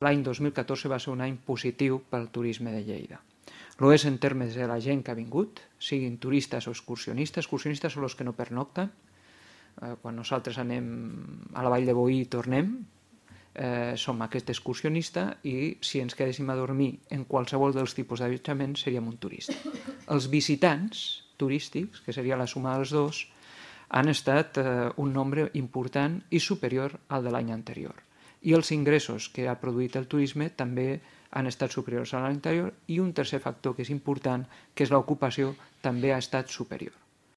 l'any 2014 va ser un any positiu pel turisme de Lleida. Lo és en termes de la gent que ha vingut, siguin turistes o excursionistes. Excursionistes són els que no pernocten. Quan nosaltres anem a la Vall de Boí i tornem, som aquest excursionista, i si ens quedéssim a dormir en qualsevol dels tipus d'allotjament seríem un turista. Els visitants turístics, que seria la suma dels dos, han estat un nombre important i superior al de l'any anterior. I els ingressos que ha produït el turisme també han estat superiors a l'any anterior, i un tercer factor que és important, que és l'ocupació, també ha estat superior.